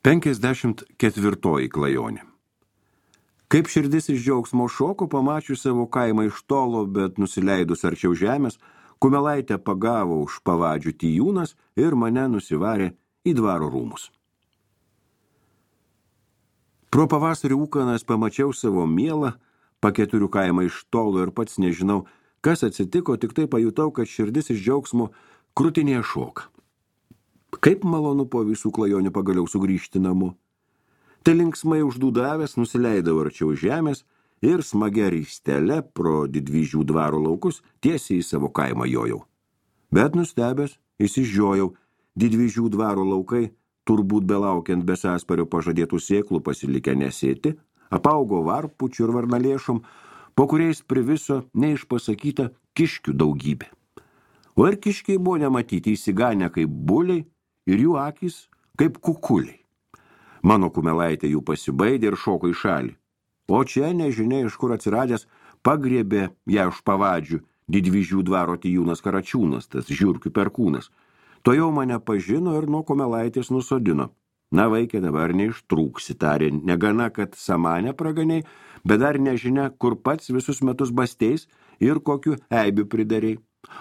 54 klajonė. Kaip širdis iš džiaugsmo šoko, pamačius savo kaimą iš tolo, bet nusileidus arčiau žemės, Kumelaitę pagavo už pavadžių Tijūnas ir mane nusivarė į dvaro rūmus. Pro pavasarį ūkanas pamačiau savo mielą, Paketurių kaimą iš tolo ir pats nežinau, kas atsitiko, tik tai pajutau, kad širdis iš džiaugsmo krūtinėje šoka. Kaip malonu po visų klajonių pagaliau sugrįžti namo. Tai linksmai uždūdavęs nusileidau arčiau žemės ir smagia ristele pro Didvyžių dvaro laukus tiesiai į savo kaimą jojau. Bet nustebęs, įsižiojau, Didvyžių dvaro laukai, turbūt belaukiant Besaspario pažadėtų sėklų pasilikę nesėti, apaugo varpučių ir varnalėšom, po kuriais priviso neišpasakyta kiškių daugybė. O ir kiškiai buvo nematyti įsiganę kaip buliai ir jų akys kaip kukuliai. Mano Kumelaitė jų pasibaidė ir šoko į šalį. O čia, nežinia iš kur atsiradęs, pagriebė ją už pavadžių Didvyžių dvaro Tijūnas Karačiūnas, tas žiurkių perkūnas. To jau mane pažino ir nuo Kumelaitės nusodino. Na, vaikė, dabar neištrūksi, tarė, negana, kad samanę praganiai, bet dar nežinia, kur pats visus metus basteis ir kokiu eibių pridarei.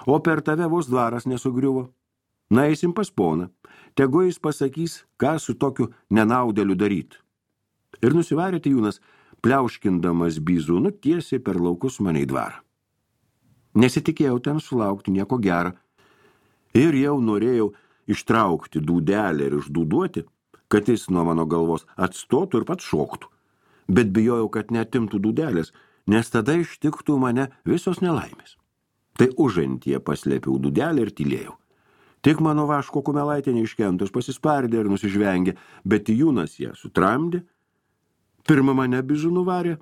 O per tave vos dvaras nesugriuvo. Na, eisim pas poną. Tegu jis pasakys, ką su tokiu nenaudėliu daryti. Ir nusivarė Tijūnas, pliauškindamas bizūnu tiesiai per laukus mane į dvarą. Nesitikėjau ten sulaukti nieko gero. Ir jau norėjau ištraukti dūdelę ir išdūduoti, kad jis nuo mano galvos atstotų ir pats šoktų. Bet bijojau, kad netimtų dūdelės, nes tada ištiktų mane visos nelaimės. Tai užantyje paslėpiau dūdelę ir tylėjau. Tik mano Vaško Kumelaitė neiškentus pasispardė ir nusižvengė, bet Tijūnas ją sutramdė. Pirma mane bizūnu varė,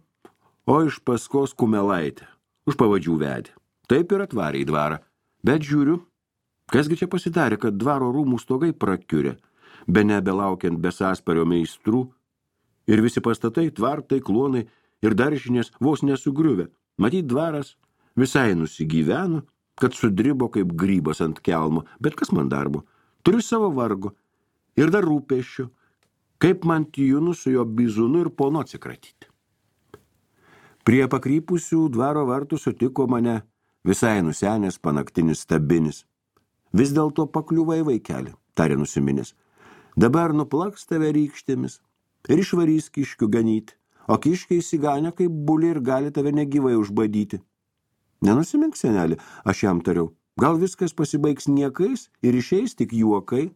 o iš paskos Kumelaitę už pavadžių vedė. Taip ir atvarė į dvarą. Bet žiūriu, kasgi čia pasidarė, kad dvaro rūmų stogai prakiurė, be nebelaukiant Besaspario meistrų, ir visi pastatai, tvartai, klonai ir daržinės vos nesugriuvę. Matyt, dvaras visai nusigyveno, kad sudribo kaip grybas ant kelmo, bet kas man darbo? Turiu savo vargo ir dar rūpesčio, kaip man Tijūnu su jo bizūnu ir ponu atsikratyti. Prie pakrypusių dvaro vartų sutiko mane visai nusenęs panaktinis stabinis. Vis dėlto pakliuvai, vaikeli, tarė nusiminęs. Dabar nuplaks tave rykštėmis ir išvarys kiškių ganyti, o kiškiai įsiganę kaip buliai ir gali tave negyvai užbadyti. Nenusimink, senelį, aš jam tariau, gal viskas pasibaigs niekais ir išeis tik juokai.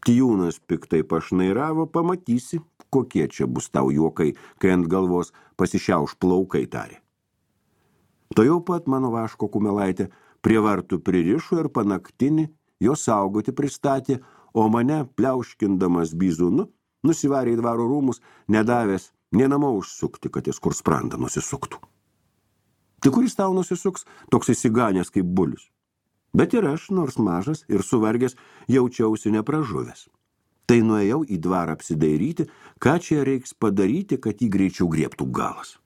Tijūnas piktai pašnairavo, pamatysi, kokie čia bus tau juokai, kai ant galvos pasišiauš plaukai, tarė. To jau pat mano Vaško Kumelaitė prie vartų pririšo ir panaktinį jo saugoti pristatė, o mane, pliauškindamas bizūnu, nusivarė į dvaro rūmus, nedavęs nė namo užsukti, kad jis kur sprandą nusisuktų. Tik kuris tau nusisuks, toks įsiganęs kaip bulius. Bet ir aš, nors mažas ir suvargęs, jaučiausi nepražuvęs. Tai nuėjau į dvarą apsidairyti, ką čia reiks padaryti, kad jį greičiau griebtų galas.